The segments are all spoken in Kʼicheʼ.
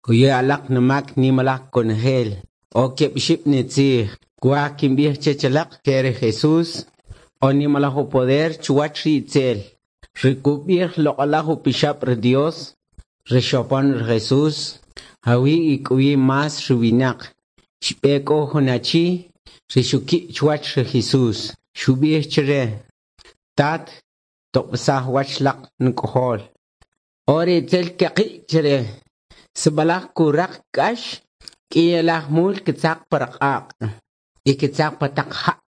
Kuya alaq numak nimalaj konojel. O keb' ixib' nitzij. Kwaj kinb'ij chech alaq che ri Jesús o nimalaj upoder chuwach ri itzel. Ri kub'ij loq'alaj upixab' ri Dios, ri xopon ri Jesús, jawi' ik'owi más ri winaq. Xb'e k'o jun achi ri xuki' chuwach ri Jesús. Xub'ij chre: Tat, toq'b'isaj wach laq nuk'ojol. O ri itzel kaqi' chre. Sib'alaj kuraq k'ax, k'iyalaj mul kitzaq pa q'aq' y kitzaq pa taq ja'.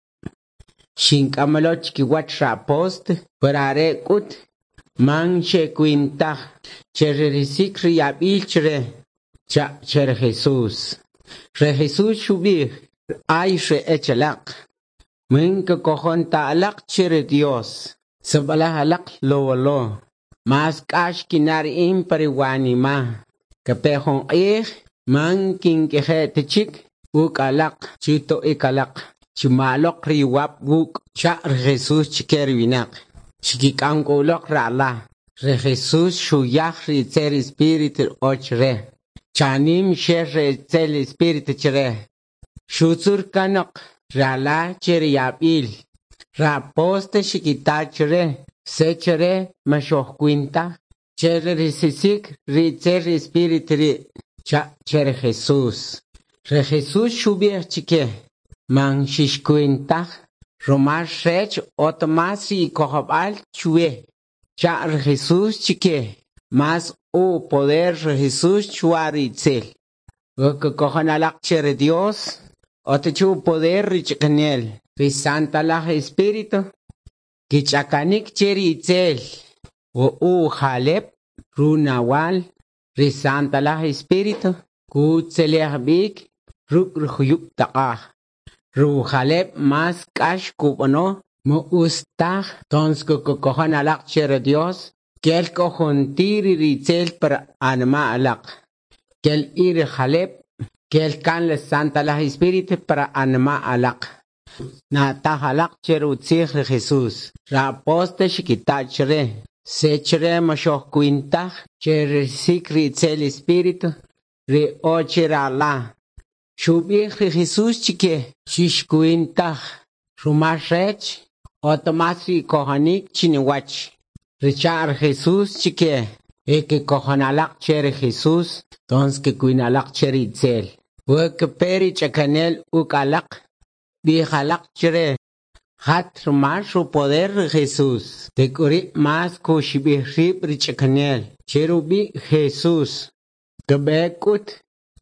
Xink'amalo chikiwach ri apóstol, pero are k'ut man xekwin taj che ririsik ri yab'il chre, cha' che ri Jesús. Ri Jesús xub'ij: Ay ri echalaq, man kakojon ta alaq che ri Dios. Sib'alaj alaq lowolo, mas k'ax kina' ri in pa ri wanima'. Kape jun q'ij man kink'eje' ta chik uk' alaq chito'ik alaq. Chima'loq ri iwab' wuk', cha' ri Jesús chike ri winaq. Xkik'am k'u uloq ri ala. Ri Jesús xuyaj ri itzel espíritu o chre. Chanim xel ri itzel espíritu chre. Xutzur kanoq ri ala che ri yab'il. Ri apóstol xikita chre, se chre ma xojkwin taj che risisik ri itzel espíritu ri' cha' che ri Jesús. Ri Jesús xub'ij chike: Man xixkwin taj, rumal rech ot mas ri ikojob'al chwe. Cha' ri Jesús chike: Mas u poder ri Jesús chwa ri itzel. We kakojon alaq che ri Dios, ot chu poder ri ch'akanel, ri Santalaj Espíritu, kich'akanik che ri itzel. We u jaleb' runawal ri Santalaj Espíritu, kutzelej b'ik ruk' ri juyub' taq'aj. Rujaleb' mas k'ax kub'ano ma utz taj tons kukojon alaq che ri Dios, kel k'o juntir ri itzel par anima' alaq. Kel i ri jaleb', kel kan le Santalaj Espíritu par anima' alaq. Na'taj alaq che ri utzij ri Jesús. Ri apóstol xikita' chre, se chre ma xojkwin taj che risik ri itzel espíritu ri o che ri ala. Xub'ij ri Jesús chike: Xixkwin taj, rumal rech ot mas ri ikojonik chiniwach. Richa' ri Jesús chike: E kikojon alaq che ri Jesús, tons kikwin alaq che ri itzel. We kape ri ch'akanel uk' alaq, b'ij alaq chre: Jat rumal rupoder ri Jesús. Tek'uri' mas kuxib'ij rib' ri ch'akanel che rub'i' Jesús. Kab'e k'ut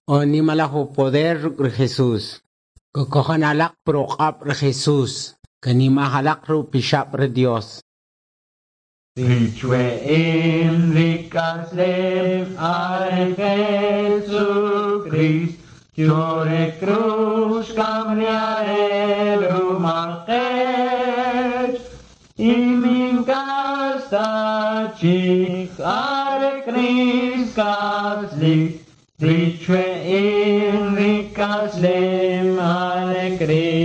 o nimalaj upoder ruk' ri Jesús. Kukojon alaq pruq'ab' ri Jesús. Kanimaj alaq rupixab' ri Dios. Richwe'im rikaslem are Jesucrist, Chore cruz cambiare rumalqech, Imin kastachik are Christ kaslik, Richwe'im rikaslem are Christ.